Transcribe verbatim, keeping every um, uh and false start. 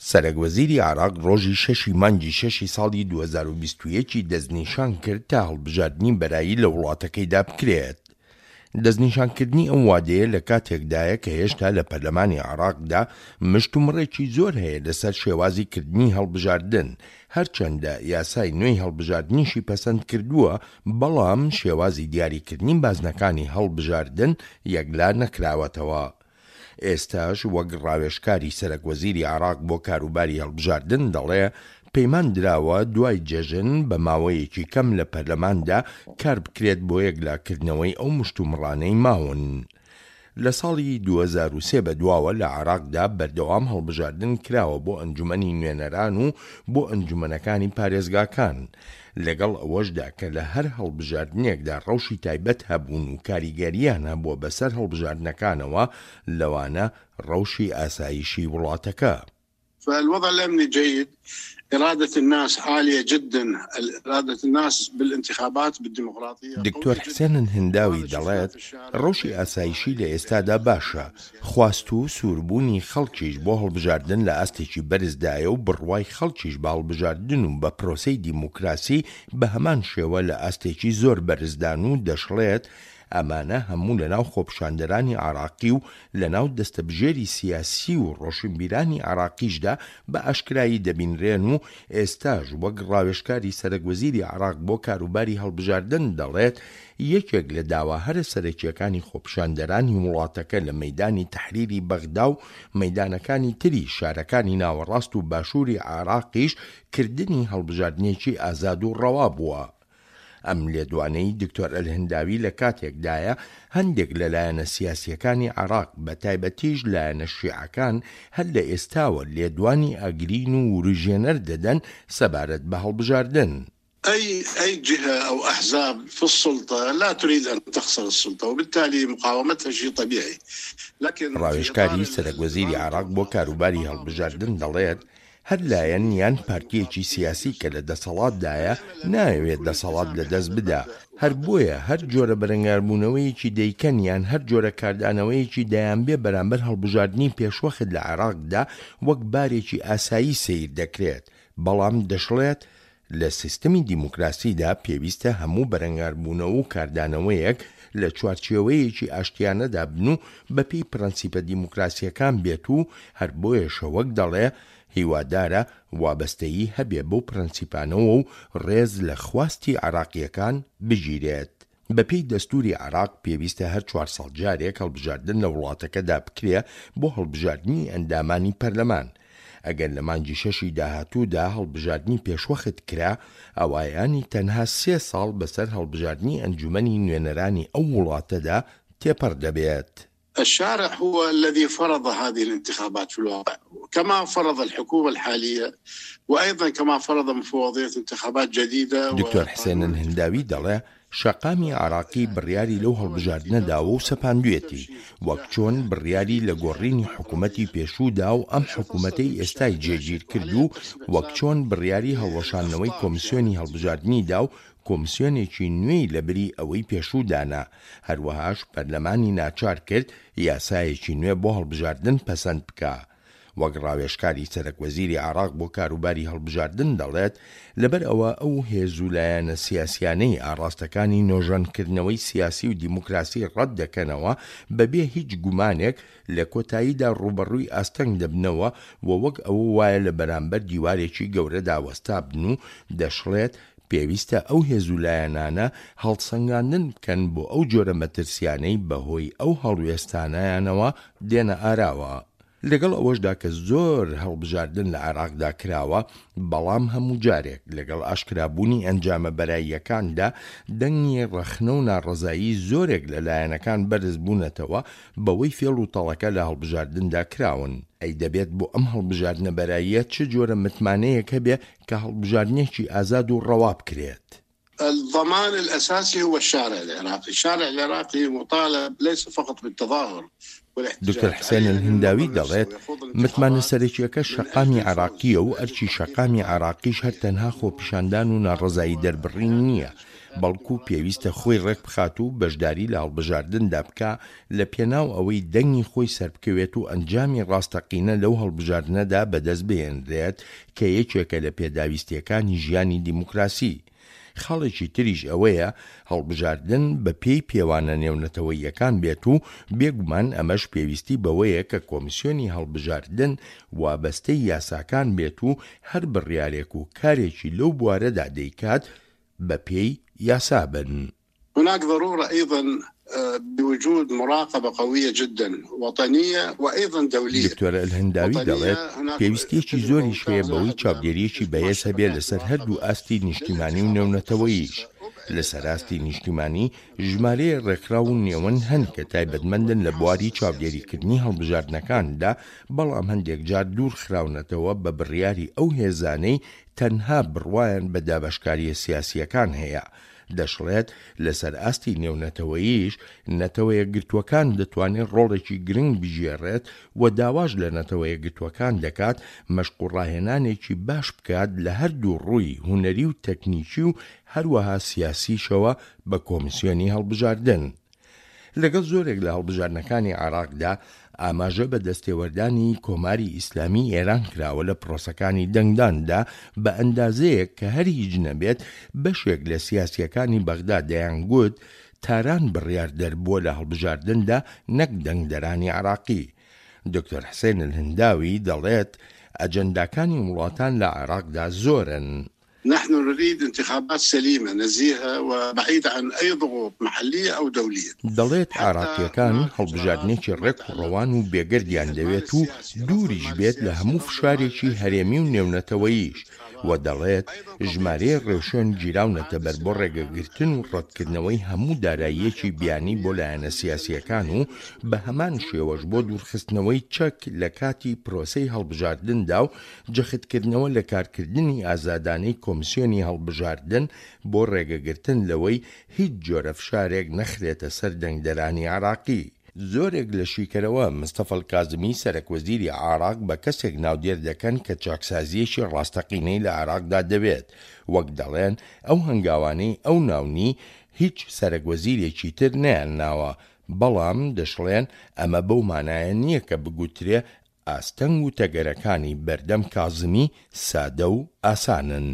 سەرەک وەزیری عێراق ڕۆژی شەشی مانگی شەشی ساڵی دوو هەزار و بیست و یەک ی دەستنیشان کرد تا هەڵبژاردنی بەرایی لە وڵاتەکەیدا بکرێت. دەستنیشانکردنی ئەو وادەیە لە کاتێکدایە کە هێشتا لە پەرلەمانی عێراقدا مشتومڕێکی زۆر هەیە لەسەر شێوازی کردنی هەڵبژاردن، هەرچەندە یاسای نوێی هەڵبژاردنیشی پەسەند کردووە، بەڵام شێوازی دیاریکردنی بازنەکانی هەڵبژاردن یەکلا نەکراوەتەوە. ئێستاش وەک ڕاوێژکاری سەرەک وەزیری عێراق بۆ کاروباری هەڵبژاردن دەڵێ، پەیمان دراوە دوای جەژن بە ماوەیەکی کەم لە پەرلەماندا کاربکرێت بۆ یەکلاکردنەوەی ئەو مشتومڕانەی ماون. لە ساڵی دوو هەزار و سێ بەدواوە لە عێراقدا بەردەوام هەڵبژاردن کراوە بۆ ئەنجومەنی نوێنەران و بۆ ئەنجومەنەکانی پارێزگاکان، لەگەڵ ئەوەشدا کە لە هەر هەڵبژاردنێکدا ڕەوشی تایبەت هەبوون و کاریگەرییان هەبووە بەسەر هەڵبژاردنەکانەوە، لەوانە ڕەوشی ئاسایشی وڵاتەکە. فالوضع الأمني جيد، إرادة الناس عالية جدا، إرادة الناس بالانتخابات بالديمقراطية. دکتۆر حسێن هنداوی دەڵێت، ڕەوشی ئاسایشی لە ئێستادا باشە، خواست و سووربوونی خەڵکیش بۆ هەڵبژاردن لە ئاستێکی بەرزدایە و بڕوای خەڵکیش بە هەڵبژاردن و بە پرۆسەی دیموکراسی بە هەمان شێوە لە ئاستێکی زۆر بەرزدان و دەشڵێت ئەمانە هەموو لەناو خۆپیشاندەرانی عێراقی و لەناو دەستەبژێری سیاسی و ڕۆشنبیرانی عێراقیشدا بە ئاشکرایی دەبینرێن و ئێستاش وەک ڕاوێژکاری سەرەک وەزیری عێراق بۆ کاروباری هەڵبژاردن دەڵێت یەکێک لە داوا هەرە سەرەکییەکانی خۆپیشاندەرانی وڵاتەکە لە مەیدانی تەحریری بەغدا و مەیدانەکانی تری شارەکانی ناوەڕاست و باشووری عێراقیش کردنی هەڵبژاردنێکی ئازاد و ڕەوا بووە. ئەم لێدوانەی دکتۆر ئەلهنداوی لە کاتێکدایە هەندێک لە لایەنە سیاسییەکانی عێراق بە تایبەتیش لایەنە شیعەکان هەر لە ئێستاوە لێدوانی ئاگرین و وروژێنەر دەدەن سەبارەت بە هەڵبژاردن. أي أي جهة أو أحزاب في السلطة لا تريد أن تخسر السلطة وبالتالي مقاومتها شيء طبيعي لكن ڕاوێژکاری سەرەک وەزیری عێراق بۆ کاروباری هەڵبژاردن دەڵێت، هەر لایەن یان پارتییەکی سیاسی کە لە دەسەڵاتدایە نایەوێت دەسەڵات لەدەست بدا، هەر بۆیە هەر جۆرە بەرەنگاربوونەوەیەکی دەیکەن یان هەر جۆرە کاردانەوەیەکی دەیانبێ بەرامبەر هەڵبژاردنی پێشوەخت لە عێراقدا وەک بارێکی ئاسایی سەیر دەکرێت، بەڵام دەشڵێت، لە سیستمی دیموکراسیدا پێویستە هەموو بەرەنگاربوونەوە و کاردانەوەیەک لە چوارچێوەیەکی ئاشتیانەدا بن و بەپێی پرەنسیپە دیموکراسییەکان بێت و هەر بۆیەشە وەک دەڵێ هیوادارە وابەستەیی هەبێ بەو پرەنسیپانەوە و ڕێز لە خواستی عێراقییەکان بگیرێت. بەپێی دەستووری عێراق پێویستە هەر چوار ساڵ جارێک هەڵبژاردن لە وڵاتەکەدا بکرێ بۆ هەڵبژاردنی ئەندامانی پەرلەمان. ئەگەر لە مانگی شەشی داهاتوودا هەڵبژاردنی پێشوەخت کرا، ئەوا یانی تەنها سێ ساڵ بەسەر هەڵبژاردنی ئەنجومەنی نوێنەرانی ئەو وڵاتەدا تێپەڕ دەبێت. الشارع هو الذي فرض هذه الانتخابات في الواقع كما فرض الحكومة الحالية وأيضا كما فرض مفوضية انتخابات جديدة. دکتۆر حسێن الهنداوی دەڵێ، شەقامی عێراقی بڕیاری لەو هەڵبژاردنە داوە و سەپاندوێتی، وەک چۆن بڕیاری لە گۆڕینی حکومەتی پێشوو دا و ئەم حکومەتەی ئێستای جێگیر کرد و وەک چۆن بڕیاری هەڵوەشاندنەوەی کۆمسیۆنی هەڵبژاردنی دا و کۆمسیۆنێکی نوێی لەبری ئەوەی پێشوو دانا، هەروەهاش پەرلەمانی ناچار کرد یاسایەکی نوێ بۆ هەڵبژاردن پەسەند بکا. وەک ڕاوێژکاری سەرەک وەزیری عێراق بۆ کاروباری هەڵبژاردن دەڵێت، لەبەر ئەوە ئەو هێز و لایەنە سیاسیانەی ئاڕاستەکانی نۆژەنکردنەوەی سیاسی و دیموکراسی ڕەت دەکەنەوە بەبێ هیچ گومانێک لە کۆتاییدا ڕووبەڕووی ئاستەنگ دەبنەوە و وەک ئەوە وایە لە بەرامبەر دیوارێکی گەورەدا وەستابن و دەشڵێت پێویستە ئەو هێز و لایەنانە هەڵسەنگاندن بکەن بۆ ئەو جۆرە مەترسیانەی بەهۆی ئەو هەڵوێستانەیانەوە دێنە ئاراوە. لەگەڵ ئەوەشدا کە زۆر هەڵبژاردن لە عێراقدا کراوە، بەڵام هەموو جارێک لەگەڵ ئاشکرابوونی ئەنجامە بەراییەکاندا دەنگی ڕەخنە و ناڕەزایی زۆرێک لە لایەنەکان بەرز بوونەتەوە بەوەی فێڵ و تەڵەکە لە هەڵبژاردندا کراون. ئەی دەبێت بۆ ئەم هەڵبژاردنە بەراییە چ جۆرە متمانەیەک هەبێ کە هەڵبژاردنێکی ئازاد و ڕەوا بکرێت؟ الضمان الأساسي هو الشارع العراقي، الشارع العراقي مطالب ليس فقط بالتظاهر. دکتۆر حسێن الهنداوی دەڵێت، متمانە سەرەکییەکە شەقامی عێراقییە و ئەرکی شەقامی عێراقیش هەر تەنها خۆپیشاندان و ناڕەزایی دەربڕین نییە، بەڵکو پێویستە خۆی ڕێکبخات و بەشداری لە هەڵبژاردندا بکا لە پێناو ئەوەی دەنگی خۆی سەربکەوێت و ئەنجامی ڕاستەقینە لەو هەڵبژاردنەدا بەدەست بهێنرێت کە یەکێکە لە پێداویستییەکانی ژیانی دیموکراسی. خاڵێکی تریش ئەوەیە هەڵبژاردن بە پێی پێوانە نێونەتەوەییەکان بێت و بێگومان ئەمەش پێویستی بەوەیە کە کۆمیسیۆنی هەڵبژاردن وابەستەی یاساکان بێت و هەر بڕیارێک و کارێکی لەو بوارەدا دەیکات بە پێی یاسا بن. هناك ضرورة أيضا بوجود مراقبة قوية جدا وطنية وأيضا دولية. دکتۆر الهنداوی دەڵێت، پێویستییەکی زۆریش هەیە بەوەی چاودێرییەکی بەهێز هەبێت لەسەر هەردوو ئاستی نیشتیمانی و نێونەتەوەییش. لەسەر ئاستی نیشتیمانی ژمارەیەک ڕێکخراو و نێوەند هەن کە تایبەتمەندن لە بواری چاودێریکردنی هەڵبژاردنەکاندا، بەڵام هەندێک جار دوورخراونەتەوە بە بڕیاری ئەو هێزانەی تەنها بڕوایان بە دابەشکارییە سیاسییەکان هەیە. دەشڵێت، لەسەر ئاستی نێونەتەوەییش نەتەوەیەکگرتووەکان دەتوانێت ڕۆڵێکی گرنگ بگێڕێت و داواش لە نەتەوەیەکگرتووەکان دەکات مەشق و ڕاهێنانێکی باش بکات لە هەردوو ڕووی هونەری و تەکنیکی و هەروەها سیاسیشەوە بە کۆمیسیۆنی هەڵبژاردن. لەگەڵ زۆرێک لە هەڵبژاردنەکانی عێراقدا ئاماژە بە دەستێوەردانی کۆماری ئیسلامی ئێران کراوە لە پرۆسەکانی دەنگداندا بە ئەندازەیەک کە هەر هیچ نەبێت بەشێک لە سیاسییەکانی بەغدا دەیانگوت تاران بڕیاردەر بووە لە هەڵبژاردندا نەک دەنگدەرانی عێراقی. دکتۆر حسێن الهنداوی دەڵێت ئەجەنداکانی وڵاتان لە عێراقدا زۆرن. نحن نريد انتخابات سليمة نزيهة وبعيدة عن أي ضغوط محلية أو دولية. دەڵێت عێراقییەکان هەڵبژاردنێکی ڕێک و ڕەوان و بێگەردیان دەوێت و دووریش بێت لە هەموو فشارێکی هەرێمی و نێونەتەوەییش، و دەڵێت ژمارەیەک ڕێوشوێن گیراونەتە بەر بۆ ڕێگەگرتن و ڕەتکردنەوەی هەموو داراییەکی بیانی بۆ لایەنە سیاسییەکان و بە هەمان شێوەش بۆ دوورخستنەوەی چەک لە کاتی پرۆسەی هەڵبژاردندا و جەختکردنەوە لە کارکردنی ئازادانەی کۆمیسیۆنی هەڵبژاردن بۆ ڕێگەگرتن لەوەی هیچ جۆرە فشارێک نەخرێتە سەر دەنگدەرانی عێراقی. زۆرێک لە شیکەرەوە مستەفا الکازمی سەرەک وەزیری عێراق بە کەسێک ناودێر دەکەن کە چاکسازییەکی ڕاستەقینەی لە عێراقدا دەوێت، وەک دەڵێن ئەو هەنگاوانەی ئەو ناونی هیچ سەرەک وەزیرێکی تر نەیانناوە، بەڵام دەشڵێن ئەمە بەو مانایە نییە کە بگوترێ ئاستەنگ و تەگەرەکانی بەردەم کازمی سادە و ئاسانن.